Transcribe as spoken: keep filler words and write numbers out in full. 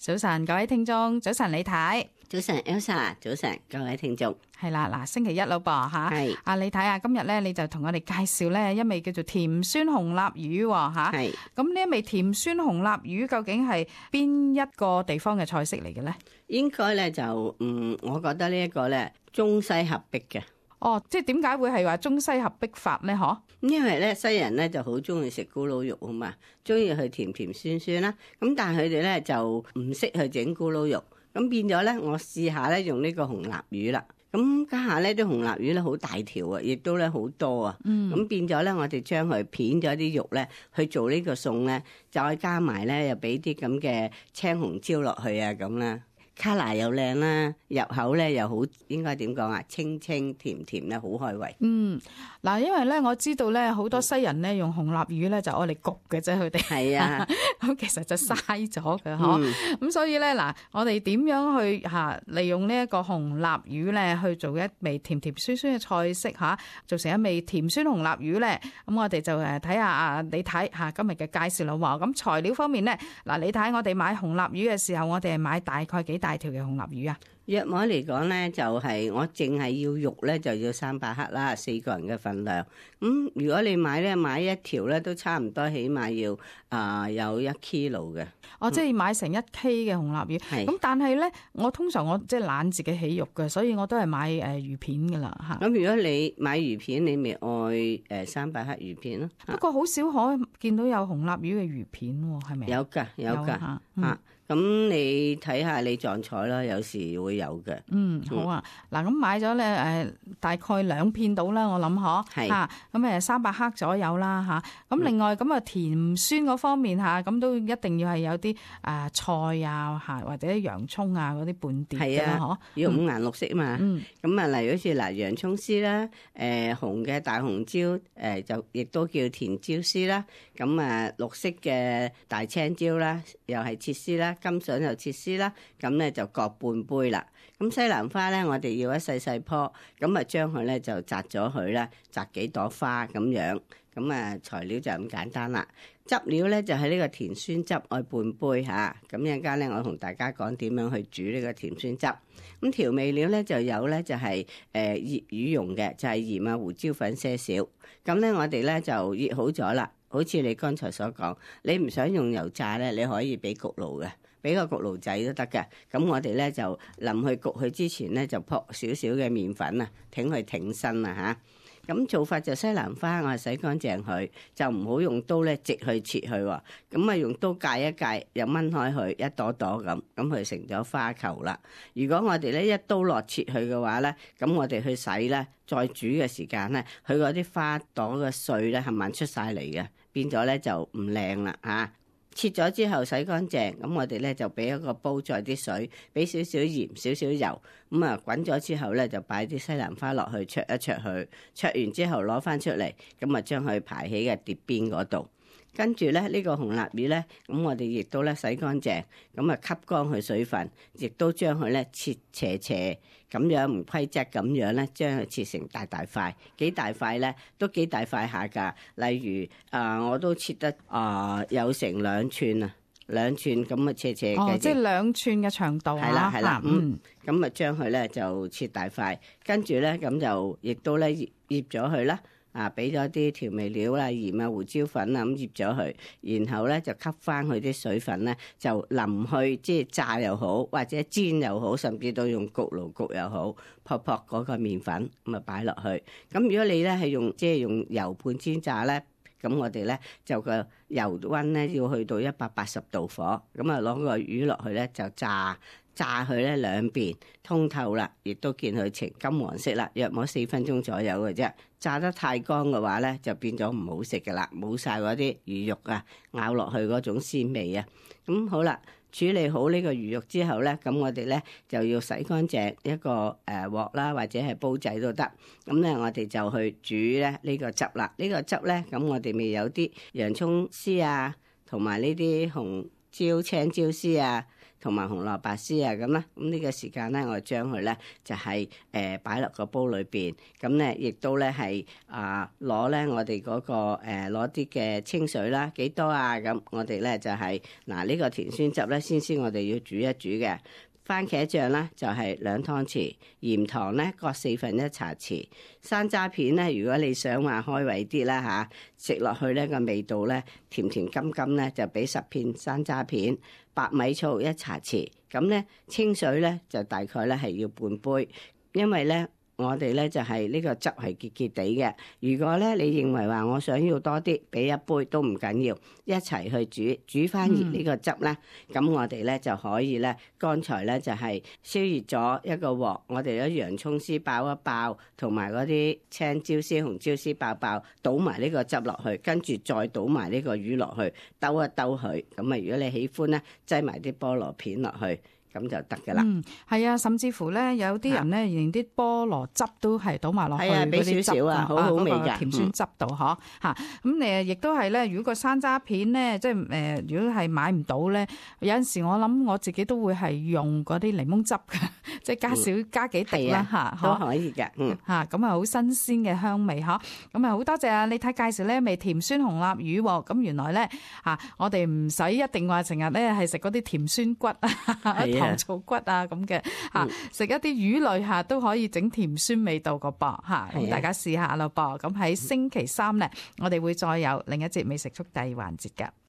早晨，各位聽眾，早晨李太，早晨 Elsa， 早晨各位聽眾。係啦，嗱，星期一咯噃吓，係啊李太啊，今日咧你就同我哋介紹咧一味叫做甜酸紅臘魚吓，係咁呢一味甜酸紅臘魚究竟係邊一個地方嘅菜式嚟嘅咧？應該咧就嗯，我覺得呢一個咧中西合璧嘅。哦，即係點解會係話中西合璧法咧？嗬，因為咧西人咧就好中意食咕嚕肉啊嘛，中意去甜甜酸酸啦。咁但係佢哋咧就唔識去整咕嚕肉，咁變咗咧我試下咧用呢個紅臘魚啦。咁家下咧啲紅臘魚咧好大條啊，亦都咧好多啊。嗯，咁變咗咧我哋將佢片咗啲肉咧去做呢個餸咧，再加埋咧又俾啲咁嘅青紅椒落去啊咁啦。卡拿又靚啦，入口咧又好，應該點講啊？清清甜甜咧，好開胃。嗯，嗱，因為咧我知道咧好多西人咧用紅臘魚咧就愛嚟焗嘅啫，佢哋係啊，咁其實就嘥咗嘅嗬。咁、嗯、所以咧嗱，我哋點樣去吓利用呢一個紅臘魚咧去做一味甜甜酸酸嘅菜式吓，做成一味甜酸紅臘魚咧？咁我哋就誒睇下啊，你睇吓今日嘅介紹啦。咁材料方面咧，嗱，你睇我哋買紅臘魚嘅時候，我哋係買大概幾大條嘅紅臘魚啊？約摸嚟講咧，就係、是、我淨係要肉咧，就要三百克啦，四個人嘅份量。咁、嗯、如果你買咧買一條咧，都差唔多，起碼要啊、呃、有一 kilo 嘅。我、哦、即係買成一 K 嘅紅臘魚。咁、嗯、但係咧，我通常我即係懶自己起肉嘅，所以我都係買誒魚片噶啦吓。咁如果你買魚片，你咪愛誒三百克魚片咯。不過好少可見到有紅臘魚嘅魚片，係咪？有噶有噶吓。咁、嗯、你睇下你撞彩啦，有時會有嘅。嗯，好啊。嗱、嗯，咁買咗咧，誒，大概兩片到啦，我諗嗬。係。吓，咁誒，三百克左右啦，吓。咁另外咁啊，甜酸嗰方面吓，咁都一定要係有啲誒菜啊，吓或者洋蔥啊嗰啲半碟嘅啦，嗬、啊。要五顏六色嘛。嗯。咁啊，例如好似嗱，洋蔥絲啦，誒、呃，紅嘅大紅椒，誒、呃，就亦都叫甜椒絲啦。咁啊，綠色嘅大青椒啦，又係切絲啦。金筍又切絲啦，咁咧就各半杯啦。咁西蘭花咧，我哋要一細細棵，咁啊將佢咧就摘咗佢啦，摘幾朵花咁樣。咁啊材料就咁簡單啦。汁料咧就係呢個甜酸汁，愛半杯吓。咁一陣間咧，我同大家講點樣去煮呢個甜酸汁。咁調味料咧就有咧就係誒醃魚用嘅，就係鹽啊胡椒粉些少。咁咧我哋咧就醃好咗啦。好似你剛才所講，你唔想用油炸咧，你可以俾焗爐嘅。俾個焗爐仔都得嘅，咁我哋咧就臨去焗佢之前咧就撲少少嘅麵粉啊，挺佢挺身啊嚇。咁做法就西蘭花，我係洗乾淨佢，就唔好用刀咧直去切佢喎。咁啊用刀界一界，又掹開佢一朵朵咁，咁佢成咗花球啦。如果我哋咧一刀落切佢嘅話咧，咁我哋去洗咧，再煮嘅時間咧，佢嗰啲花朵嘅碎咧係慢出晒嚟嘅，變咗咧就唔靚啦嚇。切咗之後洗乾淨，咁我哋咧就俾一個煲，再啲水，俾少少鹽、少少油，咁啊滾咗之後咧就擺啲西蘭花落去，焯一焯佢，焯完之後攞翻出嚟，咁啊將佢排喺個碟邊嗰度。跟住咧，呢個紅臘魚咧，咁我哋亦都咧洗乾淨，咁啊吸乾佢水分，亦都將佢咧切斜斜咁樣唔規則咁樣咧，將佢切成大大塊，幾大塊咧都幾大塊下㗎。例如啊、呃，我都切得啊、呃、有成兩寸啊，兩寸咁啊斜斜嘅。哦，即係兩寸嘅長度啊。係啦係啦，嗯，咁啊將佢咧就切大塊，跟住咧咁就亦都咧醃醃咗佢啦。啊，俾咗啲調味料啦、鹽啊、胡椒粉啊咁醃咗佢，然後咧就吸翻佢啲水分咧，就淋去即係炸又好，或者煎又好，甚至到用焗爐焗又好，撲撲嗰個麵粉咁啊擺落去。咁如果你咧係用即係用油盤煎炸咧，咁我哋咧就個油溫咧要去到一百八十度火，咁啊攞個魚落去咧就炸。炸佢咧兩邊通透啦，亦都見佢呈金黃色啦，約莫四分鐘左右嘅啫。炸得太乾嘅話咧，就變咗唔好食噶啦，冇晒嗰啲魚肉啊，咬落去嗰種鮮味啊。咁好啦，處理好呢個魚肉之後咧，咁我哋咧就要洗乾淨一個誒鑊啦，或者係煲仔都得。咁咧我哋就去煮咧呢個汁啦。呢個汁咧，咁我哋咪有啲洋蔥絲啊，同埋呢啲紅椒青椒絲啊，同埋紅蘿蔔絲啊咁啦。咁呢個時間咧，我將佢咧就係誒擺落個煲裏邊。咁咧亦都咧係啊攞咧我哋嗰、嗰個誒攞啲嘅清水啦，幾多啊？咁我哋咧就係嗱呢個甜酸汁咧，先先我哋要煮一煮嘅。番茄醬咧就係兩湯匙，鹽糖咧各四分一茶匙，山楂片咧如果你想話開胃啲啦嚇，食落去咧個味道咧甜甜甘甘咧就俾十片山楂片，白米醋一茶匙，咁咧清水咧就大概咧係要半杯，因為咧。我哋咧就係呢個汁係結結地嘅。如果咧你認為話我想要多啲，俾一杯都唔緊要，一齊去煮煮翻熱呢個汁咧。咁、嗯、我哋咧就可以咧，剛才咧就係燒熱咗一個鑊，我哋啲洋葱絲爆一爆，同埋嗰啲青椒絲、紅椒絲爆爆，倒埋呢個汁落去，跟住再倒埋呢個魚落去，兜一兜佢。咁啊，如果你喜歡咧，擠埋啲菠蘿片落去。咁就得噶啦。嗯，係啊，甚至乎咧，有啲人咧，連啲菠蘿汁都係倒埋落去嗰啲汁啊，好好味㗎，甜酸汁度嗬嚇。咁誒，亦都係咧，如果個山楂片咧，即係誒，如果係買唔到咧，有陣時我諗我自己都會係用嗰啲檸檬汁嘅，即係加少、嗯、加幾滴啦嚇，都可以嘅。嗯嚇，咁啊好新鮮嘅香味嗬。咁啊好多謝啊李太介紹呢味甜酸紅臘魚喎。咁原來咧嚇，我哋唔使一定話成日咧係食嗰啲甜酸骨啊。糖醋骨啊咁嘅嚇，食一啲魚類嚇都可以整甜酸味道個噃嚇，咁大家試下咯噃。咁喺星期三咧，我哋會再有另一節美食速遞環節㗎。